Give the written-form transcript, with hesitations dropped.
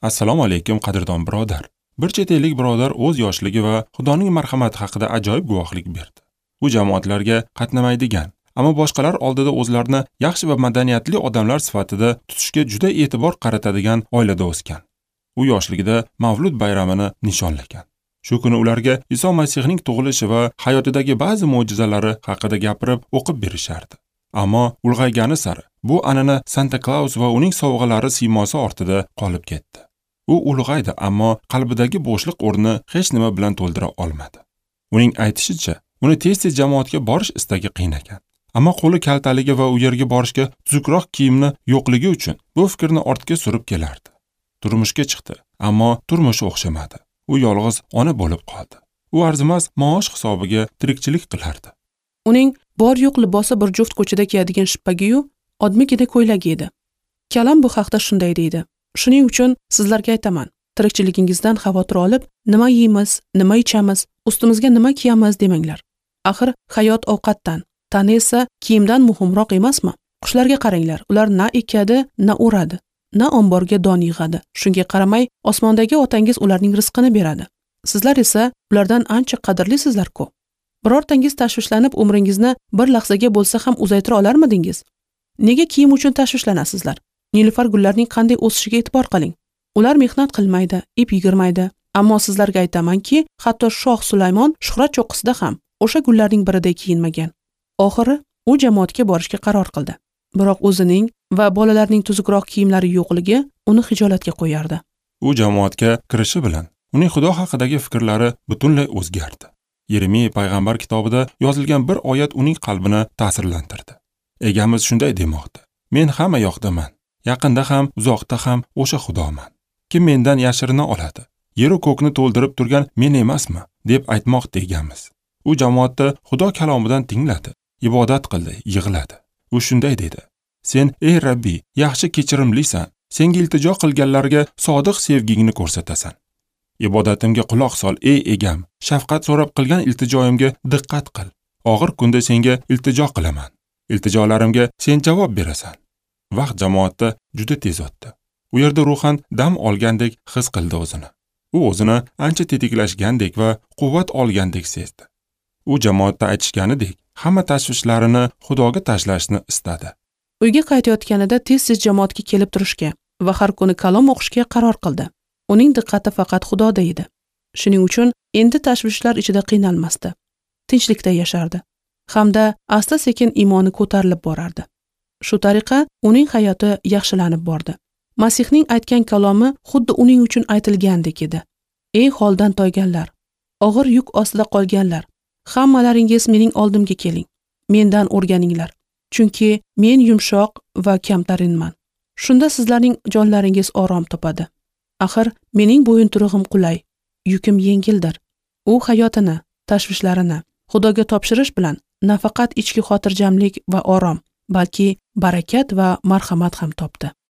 Assalomu alaykum, qadrdon birodar. Bir chet ellik birodar o'z yoshligi va Xudoning marhamati haqida ajoyib guvohlik berdi. U jamoatlarga qatnamaydigan, ammo boshqalar oldida o'zlarini yaxshi va madaniyatli odamlar sifatida tutishga juda e'tibor qaratadigan oilada o'sgan. U yoshligida Mavlud bayramini nishonlagan. Shu kuni ularga Iso Masihning tug'ilishi va hayotidagi ba'zi mo'jizalari haqida gapirib, o'qib berishardi. Ammo ulg'aygani sari bu an'ana Santa Claus va uning sovg'alari siymosi ortida qolib ketdi. U ulg'aydi, ammo qalbidagi bo'shliq o'rnini hech nima bilan to'ldira olmadi. Uning aytishicha, uni tez-tez jamoatga borish istagi qiynagan. Ammo qo'li kaltaligi va u yerga borishga tuzukroq kiyimni yo'qligi uchun bu fikrni ortga surib kelardi. Turmushga chiqdi, ammo turmushi o'xshamadi. U yolg'iz ona bo'lib qoldi. U arzimas maosh hisobiga tirikchilik qilardi. Uning bor yo'q libosi bir juft ko'chada kiyadigan shippagiyu odmigina ko'ylagi edi. Kalam bu haqda shunday deydi: Shuning uchun sizlarga aytaman, tirikchiligingizdan xavotir olib, nima yeymiz, nima ichamiz, ustimizga nima kiyamiz demanglar. Axir hayot ovqatdan, tana esa kiyimdan muhimroq emasmi? Qushlarga qaranglar, ular na ekadi, na o'radi, na omborga don yig'adi. Shunga qaramay, osmondagi otangiz ularning rizqini beradi. Sizlar esa ulardan ancha qadrlisizlar-ku. Birortangiz tashvishlanib umringizni bir lahzaga bo'lsa ham uzaytira olarmidingiz? Nega kiyim uchun tashvishlanasizlar? Nilufar gullarning qanday o'sishiga e'tibor qiling. Ular mehnat qilmaydi, ip yigirmaydi. Ammo sizlarga aytamanki, hatto shoh Sulaymon shuhrat cho'qqisida ham o'sha gullarning biriday kiyinmagan. Oxiri u jamoatga borishga qaror qildi. Biroq o'zining va bolalarning tuzukroq kiyimlari yo'qligi uni xijolatga qo'yardi. U jamoatga kirishi bilan uning Xudo haqidagi fikrlari butunlay o'zgardi. Yeremiya payg'ambar kitobida yozilgan bir oyat uning qalbini ta'sirlantirdi. Egamiz shunday demoqda: Men hamma yoqdaman. Yaqinda ham, uzoqda ham o'sha Xudoman. Kim mendan yashirina oladi? Yeru ko'kni to'ldirib turgan men emasmi? Deb aytmoqda egamiz. U jamoatda Xudo kalomidan tingladi, ibodat qildi, yig'ladi. U shunday dedi: Sen, ey Rabbiy, yaxshi kechirimlisan. Senga iltijo qilganlarga sodiq sevgingni ko'rsatasan. Ibodatimga quloq sol, ey egam. Shafqat so'rab qilgan iltijoyimga diqqat qil. Og'ir kunda senga iltijo qilaman. Iltijolarimga sen javob berasan. Vaqt jamoatda juda tez o'tdi. U yerda ruhan dam olgandek his qildi o'zini. U o'zini ancha tetiklashgandek va quvvat olgandek sezdi. U jamoatda aytishganidek, hamma tashvishlarini Xudoga tashlashni istadi. Uyga qaytayotganida tez-tez jamoatga kelib turishga va har kuni kalom o'qishga qaror qildi. Uning diqqati faqat Xudoda edi. Shuning uchun endi tashvishlar ichida qiynalmasdi. Tinchlikda yashardi. Hamda asta-sekin iymoni ko'tarilib borardi. Shu tariqa uning hayoti yaxshilanib bordi. Masihning aytgan kalomi xuddi uning uchun aytilgandek edi. Ey holdan toyganlar, og'ir yuk ostida qolganlar, hammalaringiz mening oldimga keling. Mendan o'rganinglar, chunki men yumshoq va kamtarinman. Shunda sizlarning jonlaringiz orom topadi. Axir mening bo'yinturug'im qulay, yukim yengildir. U hayotini, tashvishlarini Xudoga topshirish bilan nafaqat ichki xotirjamlik va orom, balki barakat va marhamat ham topdi.